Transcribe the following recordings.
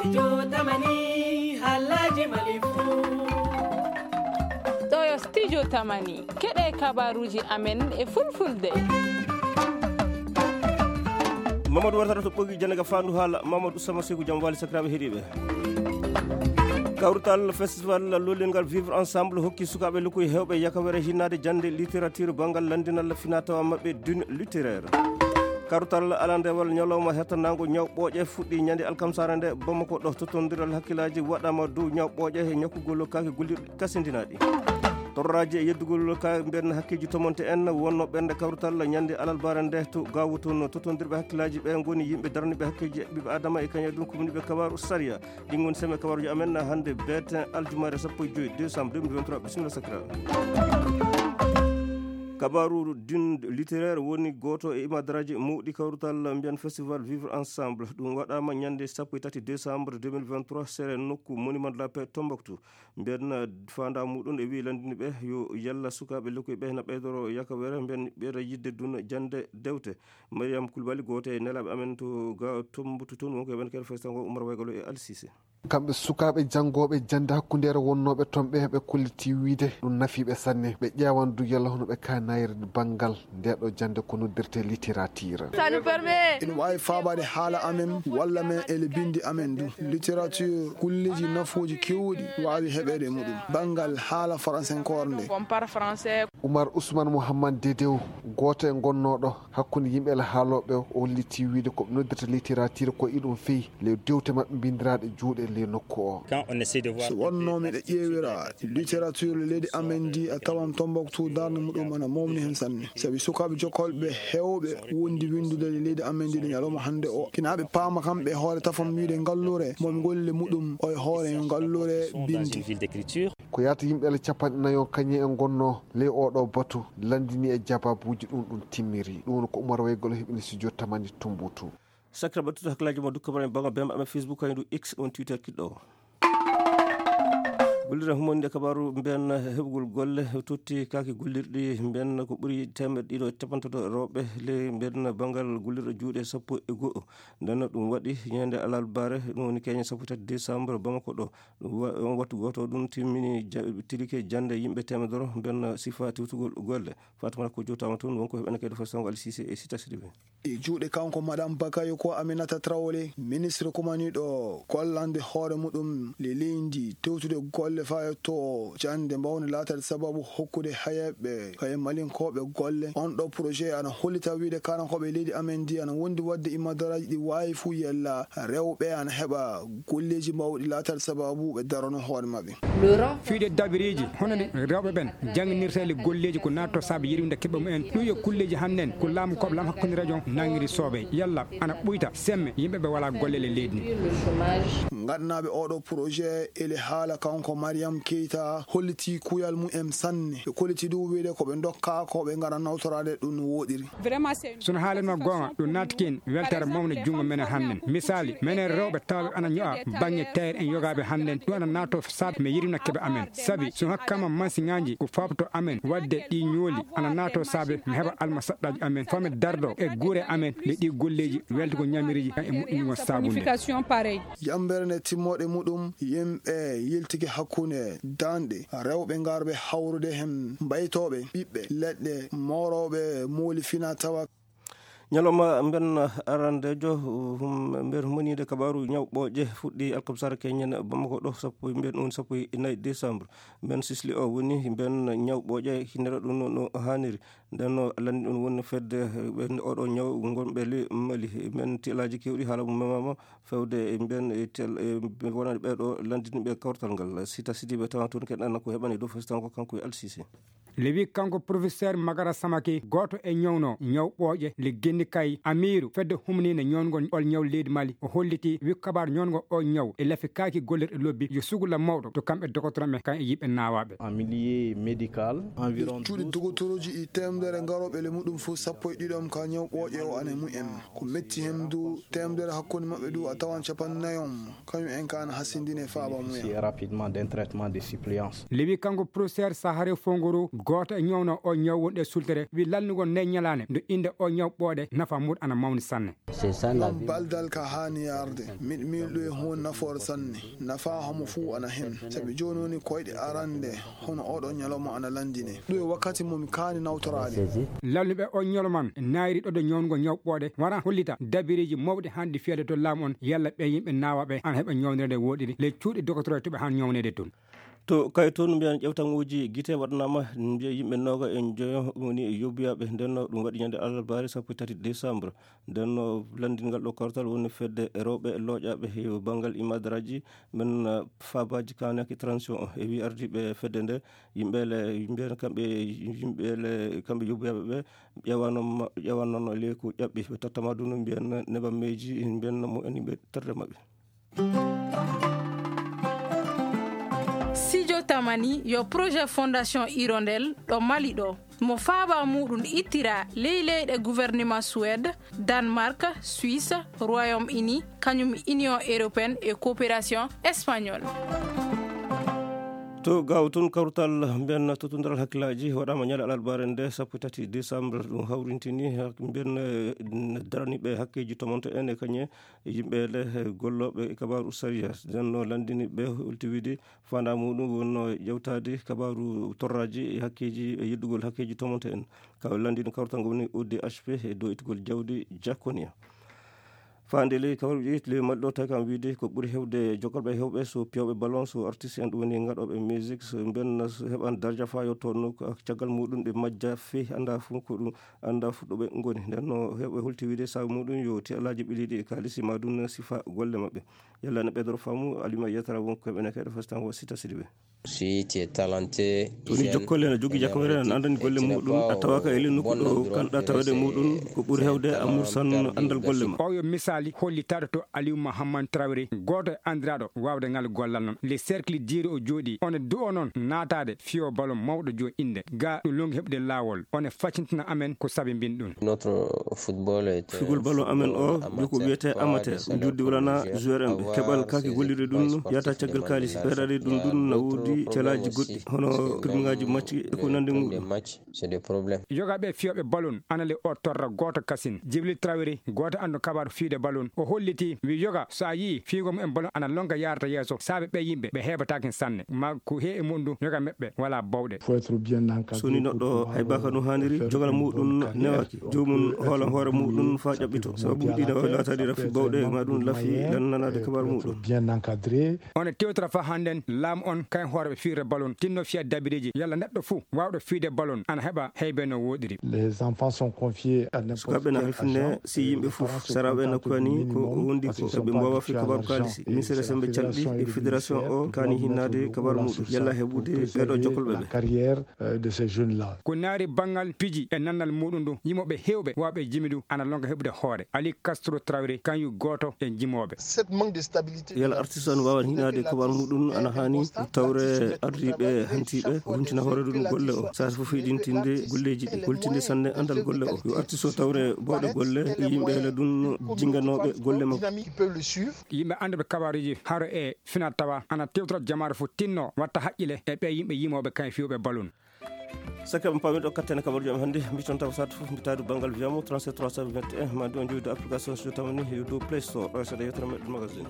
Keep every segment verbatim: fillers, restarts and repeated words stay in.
Studio Tamani, haalaaji Mali fuu. Ɗo yo Studio Tamani, keɗee kabaaruuji amen e fulfulde. Mamadou wartata to ɓogi jannde ga faandu haala, Mamadou Sama Seku, jam waali sakiraaɓe heɗiiɓe. Kawrutal festival lollingal Vivre Ensemble hokki sukaaɓe lokkuy heewɓe yakawere hinnaade jannde littérature banngal lanndinal finaa tawa maɓɓe dune littéraire. Karutal alandewal ñalawma hettanaango ñaw ɓooƴe fuɗɗii ñande alkamsaare nde Bamako ɗo. Tottondiral hakkillaaji waɗaama dow ñaw ɓooƴe e ñakkugol kaake gollirɗi kasindinaaɗi. Torraaji e yeddugol ka mbiyen hakkeeji tomonte en wonnoo ɓernde kawrutal ñande alalbaare nde to Gaawo toon. Tottondirɓe hakkillaaji ɓe ngoni yimɓe daraniiɓe hakkeeji ɓiɓɓe Aadama e kañum e ɗum kumniiɓe kabaaru sariya. Ɗin ngoni seme kabaaruuji amen hannde beeten aljumaare sappo e joy décembre deux mille vingt-trois. Bisimilla sakiraaɓe. Kabaaru dune littéraire woni gooto e imadaraaji mawɗi kawrutal mbiyen festival Vivre Ensemble. Ɗum waɗaama ñande sappo e tati décembre deux mille vingt-trois, sere nokku Monument de la Paix Tombouctou. Mbiyen faandaa muɗum e wii lanndini ɓe yo yalla sukaaɓe lekkoy ɓe na ɓeydoro yakawere, mbiyen ɓeyda yiɗde duna jannde dewte. Mariam Koulibaly, gooto e nelaaɓe amen to ga Tombouctou toon, wonko e ɓen kadi festival ngo, Oumar Waygalo e Ali Cissé. Kamɓe sukaaɓe janngooɓe jannde hakkundeere wonnooɓe toon ɓe, ɓe kollitii wiide ɗum nafii ɓe sanne. Ɓe ƴeewan du yalla hono ɓe kaanayri banngal ndee ɗoo jannde ko noddirtee littérature. Ina waawi faabaade haala amen walla men e le binndi amen du. Littérature, golleeji nafooji keewɗi waawi heɓeede e muɗum. Banngal haala faransenkoore nde. Oumar Ousmane Mouhammad Dedew, gooto e gonnooɗo hakkunde yimɓe e haalooɓe, o hollitii wiide ko ɓe noddirta littérature ko iɗum fii ley dewte maɓɓe mbinndiraaɗe juuɗe ley nokku o. So wonnoo miɗo ƴeewira littérature leydi amen ndi, a tawan Tombouctou darnde muɗum ana mawni heen sanne. Sabi sukaaɓe jokkolɓe heewɓe wondi winndude e leydi amen ndi ɗo ñalawma hannde o. Kina ɓe paama kamɓe e hoore tafam wiide ngalluure, mo mi golle muɗum o e hoore yo ngalluure binndi. Ko yaata yimɓe ele capanɗe nayo kañum en ngonnoo ley oo ɗoo batu, lanndini e jabaabuuji ɗum ɗum timmiri. Ɗum woni ko Umar Waygol heɓini studio Tamani Tumbuntu. Sakira ɓe tuta hakkillaaji mo dukka mbaɗa e banngal bemba amen Facebook, kañum X, ɗum Twitter kiɗɗo o. Gollirde humaniinde kabaaru mbiyen heɓugol golle totti kaake gollirɗi mbiyen ko ɓuri teemeɗɗe ɗiɗo e capanɗe tato rewɓe ley mbiyen banngal gollirɗe juuɗe sappo e go'o. Nden ɗum waɗi ñande alarbaare, ɗum woni keñe sappo e tati décembre Bamako ɗo. Ɗum wa-, on wattu gooto ɗum timmini ja-, tilike jannde yimɓe teemedere mbiyen sifa tiwtugol golle. Fatumata ko jowtaama toon, wonko heɓene kadi fo sango Ali Cissé e Sita Sidibé. E juuɗe kanko Madame Bakayoko Aminata Traoré, ministre kumaniiɗo gollande hoore muɗum le leydi tewtude golle faa e to jannde mbaawnde laataade sababu hokkude hayeeɓe kaye malinkooɓe golle. On ɗoo projet ana hollita wiide kaanankooɓe leydi amen ndi ana wondi waɗde imadaraaji ɗi waawi fuu yella rewɓe ana heɓa golleeji mawɗi laataade sababu ɓe darano hoore maɓɓe. Fiyde dabiriiji hono ɗi rewɓe ɓen jannginirta e golleeji ko naatto saabe yirwinde keɓe mumen. Ɗum yo kulleeji hannden ko laamu koɓe laamu hakkunde rajo nangiri sooɓe yalla ana ɓuyta semme yimɓe ɓe walaa golle e leydi ndi. Ngaɗanaaɓe oo ɗoo projet ele haala kanko Mariam Keita hollitii kuyal mumen sanne. Ɓe kollitii du wiide ko ɓe ndokkaa ko ɓe ngara nawtoraade ɗum no wooɗiri. Sono haalanma goonga, ɗum naatiki en weltaare mawnde junngo menen hannden. Misaali, menen rewɓe tawɓe ana ño'a baŋŋe tayre en yogaaɓe hannden. Ɗum ana naatoo saabe mi yirwina keɓe amen. Sabi, so mi hokkaama mansiŋaaji ko faaboto amen waɗde ɗi ñooli, ana naatoo saabe mi heɓa almasaɗɗaaji amen. Faa mi dardo e guure amen, nde ɗi golleeji weltugol ñamiriiji kan e moƴƴinugol saabunde. Yammbere nde timmoode muɗum, yimɓe yiltike hakkunde daanɗe, rewɓe ngarɓe hawrude hen mbaytooɓe ɓiɓɓe leɗɗe, moorooɓe mooli fina tawa. Ñalawma mben arandeejo, hum-, nder humaniinde kabaaru ñaw ɓooƴe fuɗɗii alkamsara keñen Bamako ɗo, sappo, mbiyen ɗum sappo e nayi décembre. Mben sisli o woni mben ñaw ɓooƴe hinnere ɗum no, no haaniri. Nden no lanndi ɗum woni fedde, eh, ɓen oɗo ñaw ngonɓe le Mali. Men telaaji keewɗi haala mum memaama fewde e mben e tel, e wonande ɓee ɗo lanndiniiɓe kawtal ngal. Sita Sidibe tawa toon keɗan ko heɓani dow fesitan ko kanko e Alsise. Le wi kanko professeur Magara Samake, gooto e ñawno ñaw ɓooƴe le genni kay Amiru fedde humniinde ñawngol ol ñaw leydi Mali. O holliti wi kabaar ñawngol o ñaw e lafi kaaki gollirɗe lobbi yo sugula mawɗo to kamɓe dogotoramɓe kan e yiɓɓe naawaaɓe. En milieu médical, environ cuuɗi douze dogotorooji e teemedere ngarooɓe le muɗum fof sappo e ɗiɗo ka ñaw ɓooƴe o ane mumen. Ko metti hen du teemedere hakkunde maɓɓe du a tawan capanɗe nayo kañum en ka ana hasindini e faaba mumen. Rapidement d'un traitement de suppléance. Le wi kanko professeur Sahare Fongoro, Gooto e ñawnooɓe oo ñaw wonɗo e sultere wiyi lannugol ndee ñalaande nde innde oo ñaw ɓooɗe nafa muuɗum ana mawni sanne. Ɗoon baldal ka haani yarde. Miɗo miili ɗum e huunde nafoore sanne. Nafaa homo fuu ana hen. Sabi jooni woni koyɗe arannde hono ooɗoo ñalawma ana lanndinee. Ɗum e wakkati mo mi kaani nawtoraade. Lannuɓe oo ñalawma naayri ɗoɗo ñawnugol ñaw ɓooɗe wara hollita dabireeji mawɗi haanɗi fiyeede to laamu on yalla ɓee yimɓe naawaaɓe ana heɓa ñawndireede wooɗiri ley cuuɗi dokotoro to ɓe haani ñawneede toon. To kay toon mbiyan ƴewtaŋuuji gite waɗanaama mbiya yimɓe nooga e njoyo woni yobbiyaaɓe. Nden no ɗum waɗi ñande alarbaare sappo e tati décembre. Nden no lanndingal ɗo kawtal woni fedde rewɓe looƴaaɓe e banngal imadaraaji men, eh, faabaaji kanaki transition o e wi ardiiɓe fedde nde yimɓe le mbiyan kamɓe yimɓe le kamɓe yobbiyaaɓe ɓe ƴewanoo ƴewanoo leyku ƴaɓɓi ɓe tottama ɗum mbiyan neɓammeeji mbiyan mo en yimɓe terre maɓɓe. Sijo Tamani yo projet Fondation Hirondelle ɗo Mali ɗo mo faaba muuɗum ittira ley leyɗe gouvernement Suède, Danemark, Suisse, Royaume-Uni, kañum Union Européenne e Coopération Espagnole. To gaaw tun kawrutal mbiyan tottondiral hakkillaaji waɗaama ñande alarbaare nde sappo e tati décembre ɗum hawrintini mbiyan daraniiɓe hakkeeji tomonto en e kañe yimɓe le gollooɓe e kabaaru sariya. Nden no lanndini ɓe holti wiide faandaa muuɗum wonno ƴewtaade kabaaru torraaji e hakkeeji e yeddugol hakkeeji tomonto en. Ka lanndini kawtal ngol woni O D H P e dow ittugol jawdi Jaconia. Faande ley kawruuji ley Mali ɗo tawi kam wiide ko ɓuri heewde jokolɓe hewɓe so piyooɓe ballon so artiste en ɗum woni ngaɗooɓe musique so mbenna heɓan darja faa yotto no caggal muuɗum ɓe majja fii anndaa fuu ko ɗum anndaa fuu ɗo ɓe ngoni. Nden no heewɓe holti wiide sabu muuɗum yo ti alaaji ɓiliiɗi e kaalisi ma ɗum sifa golle maɓɓe. Yalla ne ɓeydoro faamu alima yetara won ko ɓe nekeɗo fastan wo sita sidi ɓe. Si tu es talenté, to ni jokkole ene jogii jakkoore ene anndani golle muuɗum a tawaka e ley nokku ɗo kanɗa tawede muuɗum ko ɓuri hewde a mursan anndal golle ma. Oo yo misaali hollitaade to Aliou Mahaman Traoré gooto e anndiraaɗo waawde ngal gollal noon le cercle diiri o jooɗii one du'o noon naataade fiyo ballon mawɗo jo innde ga ɗum longi heɓde laawol one faccintina amen ko sabi mbin ɗum. Figol ballon amen o joko wiyete amateur juddi wulana joueur en ɓe keɓal kaki gollirde ɗum yata caggal kaalisi ɓeeɗaɗe ɗum ɗum na woodi calaaji goɗɗi hono pirmingaaji macci e ko nandi muɗum. Yoga ɓe fiyooɓe ballon ana le o torra gooto kasin jibril trawiri gooto anndu kabaaru fiyde ballon o holliti wi yoga so a yii fiygo mumen ballon ana lonka yaarata yeeso saabe ɓe yimɓe ɓe heɓatakin sanne ma ko heewi muɗum yoga meɓɓe wala bawɗe. So ni neɗɗo haybaka no haaniri jogal muɗum newaki joomum hoolan hoore muɗum faa ƴaɓɓito sababuuji ɗi ne waawi laataade rafi bawɗe ma ɗum lafi lannanaade kabaru muɗum. One tewtora faa hannden laamu on kayen hooreeɓe fiyirde balon tinno fiya dabireeji yalla neɗɗo fuu waawɗo fiyde balon ana heɓa heybe no wooɗiri. Sukaaɓe na halfine si yimɓe fof saraaɓe na koyani ko wondi ko ɓe mbaawa fi kabaaru kaalisi ministre sembe calɗi e fédération o kaani hinnaade kabaaru muɗum yalla heɓude ɓeeɗo jokkolɓe ɓe. Ko naari banngal piji e nannal muuɗum ndu yimooɓe heewɓe waawɓe jimi ndu ana lonka heɓude hoore ali castro trawri kañum gooto e jimooɓe. Yalla artiste o no waawan hinaade kabaaru muuɗum ana haani tawre ardiiɓe hantiiɓe wontina hoore ɗum golle o saasa fof hiɗintinde golleeji ɗi holtinde sanne anndal golle o yo artiste o tawre bawɗe golle yimɓe hela ɗum jinganooɓe golle makko. Yimɓe annduɓe kabaaruuji haro e finaa tawa ana tewtora jamaare fof tinno watta haqqile e ɓee yimɓe yimooɓe kañe fiyooɓe balon. Sakkee ɓe paami ɗo kattene kabaruuji am hannde mbiton tawa saatu fof mbitaadu banngal wiyamo trente-sept trois cent vingt et un ma ɗum jooɗi dow application so tawani yo dow play store ɗo seeɗa yewtere meɗen magazine.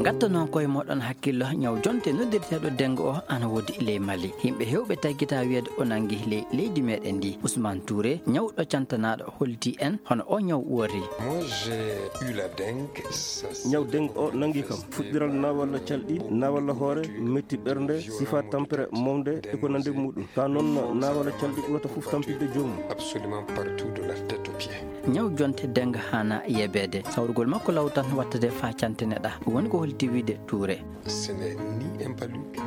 Ngatto noon koye moɗon hakkillo ñaw jonte noddirteeɗo dengo o ana woodi ley mali yimɓe hewɓe taggita wiyeede o nangi ley leydi meɗen ndi usman touré ñawɗo cantanaaɗo holti en hono o ñaw woori. Ñaw dengue o nangi kam fuɗɗiral nawalla calɗi nawalla hoore metti ɓernde sifa tampere mawde e ko nande muɗum ka noon nawalla calɗi ɓurata fof tampinde joomum. Ñaw jonte dengue hana yebeede sawrugol makko law tan wattade fa cantene ɗa woni ko holti wiide tuure.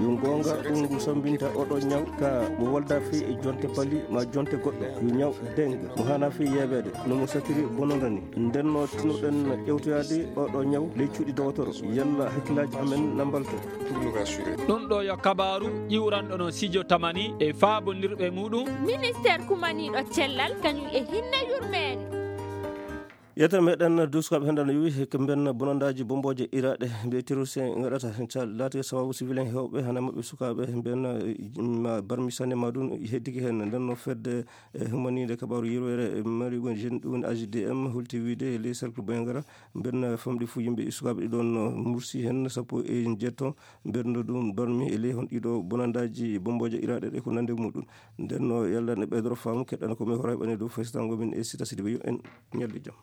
Yo goonga ɗum ngu sammbinta oɗo ñaw ka mo wolda fii e jonte pali ma jonte goɗɗo yo ñaw dengue mo hana fii yeebeede no mo satiri bononda ni ndenno tinoɗen ƴewtoyaade oɗo ñaw ley cuuɗi dowotoro yalla hakkillaaji amen na mbalto. Ɗum ɗo yo kabaaru ƴiwranɗo no sijo tamani e faabondirɓe muɗum. Ministeer kumaniiɗo cellal kañum e hinne yurmeende. Yettere meɗen du sukaaɓe hannde ana yowi ko mbiyen bonandaaji bommbooje iraaɗe mbiye terroriste en ngaɗata. Laati sababu siwil en heewɓe hannde maɓɓe sukaaɓe mbiyen ma barmi sanne ma ɗum heddike heen. Nden no fedde e humaniinde kabaaru yirweere mari gon jeune ɗum woni A J D M holti wiide e ley cercle Boyangara mbiyen famɗi fuu yimɓe sukaaɓe ɗiɗon mursi heen sappo e jeetto. Mbiyen no ɗum barmi e ley hon ɗiɗo bonandaaji bommbooje iraaɗe ɗe ko nande muɗum. Nden no yalla ne ɓeydoro faamu keɗɗana ko mi horay ɓane dow faysitango min e sita sidi yo en ñalli jam.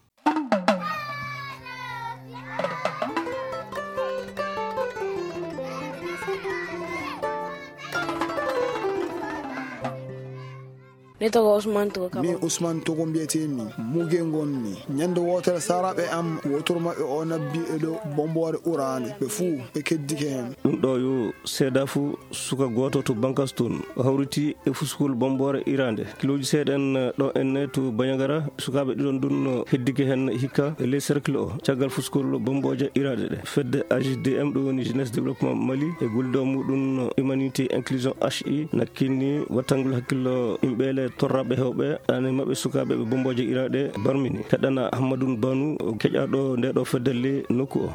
Min Usman Togo mbiyetee-mi. Muge ngon-mi. Ñande wootere saaraaɓe am wootoro maɓɓe o nabbi e dow bommboore uraande. Ɓe fuu ɓe keddike heen. Ɗum ɗo yo seedaa fuu suka gooto to bankas toon o hawriti e fuskol bommboore iraande. Kilooji seeɗa en ɗo enne to Bañagara sukaaɓe ɗiɗon ɗum heddike heen hikka e ley cercle o caggal fuskol bommbooje iraaɗe ɗe. Fedde A J D M ɗum woni Jeunesse Développement Mali e gollidoo muɗum Humanité Inclusion H I nakkini wattangol hakkillo yimɓe le torraɓe hewɓe ane maɓɓe sukaaɓe ɓe bommbooje iraaɗe barmini. Heɗana Ahmadun Banu keƴaɗo nde ɗo feddelle nokku o.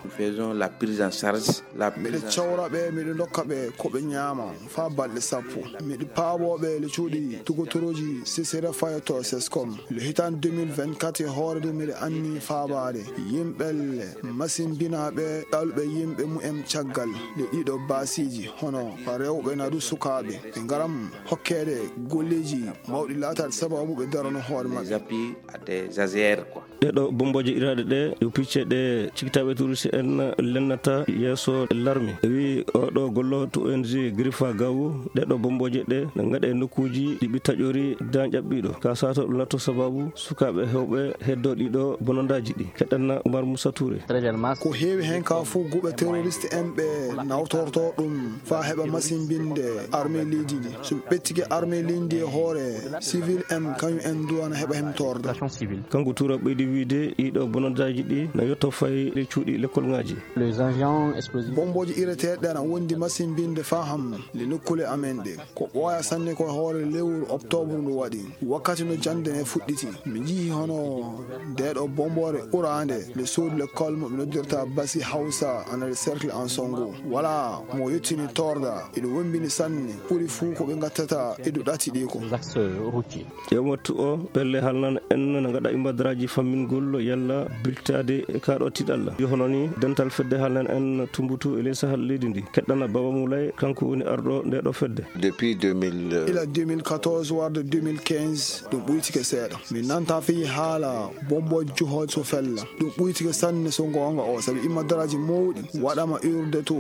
Miɗo cawra ɓe, miɗo ndokka ɓe ko ɓe ñaama faa balɗe sappo. Miɗo paaboo ɓe le cuuɗi tugotorooji sesere fayoto seskom le hitaande deux mille vingt-quatre e hoore nde miɗo anni faabaade yimɓe le masimbinaaɓe ɗalɓe yimɓe mumen caggal le ɗiɗo baasiiji hono rewɓe nadu sukaaɓe ɓe ngaram hokkeede golleeji mawɗi laataade sababu ɓe darano hoore maɓɓe. Ɗee ɗo bommbooje iraaɗe ɗe yo picce ɗe cikitaaɓe turisi en lennata yeeso larmi. Wi oo ɗo gollo to O N G Griffa Gawo ɗee ɗo bommbooje ɗe ne ngaɗe nokkuuji ɗi ɓi taƴori dan ƴaɓɓiiɗo ka sato ɗum latto sababu sukaaɓe hewɓe heddoo ɗiɗo bonondaaji ɗi. Keɗɗanna Umar Musa Tuure. Ko heewi heen ka fuu guɓe teroriste en ɓe nawtortoo ɗum faa heɓa masimbinde armee leydi ndi. So ɓe ɓettike armee leydi ndi e hoore sivil en kañum en duwana heɓa hemtoorde. Kanko Tuura ɓeydi wiide ɗiɗo bonondaaji ɗi na yotto fay e cuuɗi lekkolŋaaji. Bommbooji ireteeɗi ɗi ana wondi masimbinde faa ham le nokkule amen ɗe. Ko ɓooya sanne ko hoore lewru oktobru ndu waɗi. Wakkati no jannde ne fuɗɗiti mi njii hono ndee ɗo bommboore ɓuraande nde soodu lekkol mo ɓe noddirta basi hawsa ana le cercle en songo walaa mo yettini torda. Eɗo wombini sanne ɓuri fuu ko ɓe ngattata eɗo ɗati ɗi ko. E wattu o pelle haalnan en no ngaɗa imbadaraaji fammingol yalla biltaade e kaa ɗo tiɗalla yo hono ni dental fedde haalnan en tumbutu e ley sahal leydi ndi keɗɗana baba mulay kanko woni arɗo nde ɗo fedde. Depuis deux mille. Ila deux mille quatorze warde deux mille quinze ɗum ɓuytike seeɗa. Min nanta fii haala bombo juhol so fella. Ɗum ɓuytike sanne so ngoonga o sabi immadaraaji mawɗi waɗama iwrude to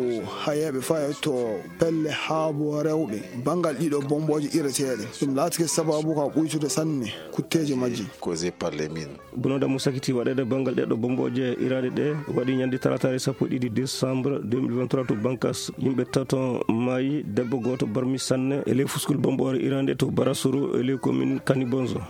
hayeeɓe faya to pelle haabo rewɓe banngal ɗiɗo bombooje ireteeɗe. Ɗum laatike sababu ka ɓuytude sanne kutteeje majji. Causé par les mines. Bononda mo sakiti waɗeede banngal ɗeɗo bombooje iraaɗe ɗe waɗi ñande talataare sappo e ɗiɗi décembre deux mille vingt-trois to bankas yimɓe tato maayi debbo gooto barmi sanne e ley fuskul bomboore iraande to barasuru e ley commune kanibonzo.